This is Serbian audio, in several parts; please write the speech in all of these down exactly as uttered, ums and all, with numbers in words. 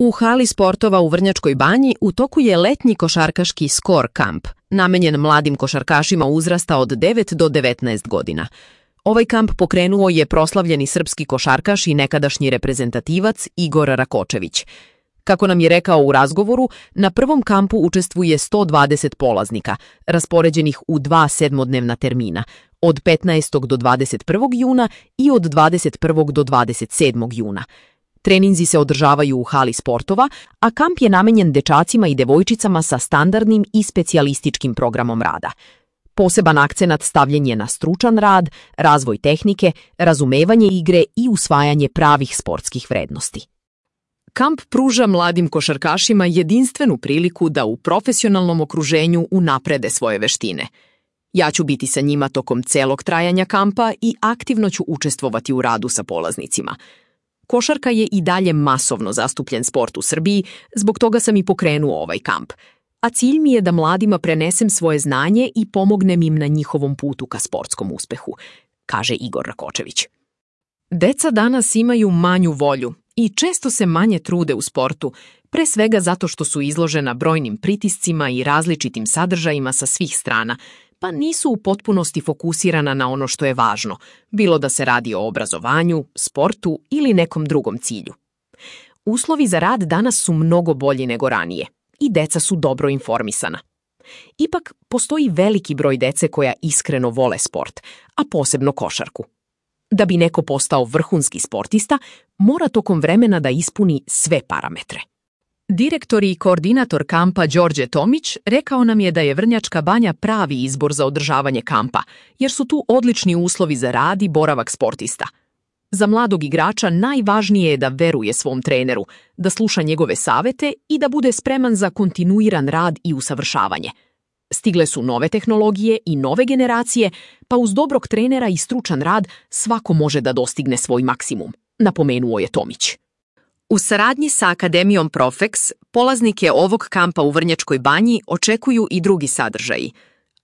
U hali sportova u Vrnjačkoj Banji u toku je letnji košarkaški skor kamp, namenjen mladim košarkašima uzrasta od devet do devetnaest godina. Ovaj kamp pokrenuo je proslavljeni srpski košarkaš i nekadašnji reprezentativac Igor Rakočević. Kako nam je rekao u razgovoru, na prvom kampu učestvuje sto dvadeset polaznika, raspoređenih u dva sedmodnevna termina, od petnaestog do dvadeset prvog juna i od dvadeset prvog do dvadeset sedmog juna. Treninzi se održavaju u hali sportova, a kamp je namenjen dečacima i devojčicama sa standardnim i specijalističkim programom rada. Poseban akcenat stavljen je na stručan rad, razvoj tehnike, razumevanje igre i usvajanje pravih sportskih vrednosti. Kamp pruža mladim košarkašima jedinstvenu priliku da u profesionalnom okruženju unaprede svoje veštine. Ja ću biti sa njima tokom celog trajanja kampa i aktivno ću učestvovati u radu sa polaznicima. Košarka je i dalje masovno zastupljen sport u Srbiji, zbog toga sam i pokrenuo ovaj kamp. A cilj mi je da mladima prenesem svoje znanje i pomognem im na njihovom putu ka sportskom uspehu, kaže Igor Rakočević. Deca danas imaju manju volju i često se manje trude u sportu, pre svega zato što su izložena brojnim pritiscima i različitim sadržajima sa svih strana, pa nisu u potpunosti fokusirana na ono što je važno, bilo da se radi o obrazovanju, sportu ili nekom drugom cilju. Uslovi za rad danas su mnogo bolji nego ranije i deca su dobro informisana. Ipak, postoji veliki broj dece koja iskreno vole sport, a posebno košarku. Da bi neko postao vrhunski sportista, mora tokom vremena da ispuni sve parametre. Direktor i koordinator kampa Đorđe Tomić rekao nam je da je Vrnjačka Banja pravi izbor za održavanje kampa, jer su tu odlični uslovi za rad i boravak sportista. Za mladog igrača najvažnije je da veruje svom treneru, da sluša njegove savete i da bude spreman za kontinuiran rad i usavršavanje. Stigle su nove tehnologije i nove generacije, pa uz dobrog trenera i stručan rad svako može da dostigne svoj maksimum, napomenuo je Tomić. U saradnji sa Akademijom Profeks, polaznike ovog kampa u Vrnjačkoj Banji očekuju i drugi sadržaji.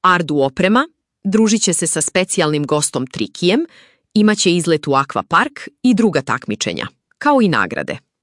Ardu oprema, družit će se sa specijalnim gostom Trikijem, imaće izlet u akvapark i druga takmičenja, kao i nagrade.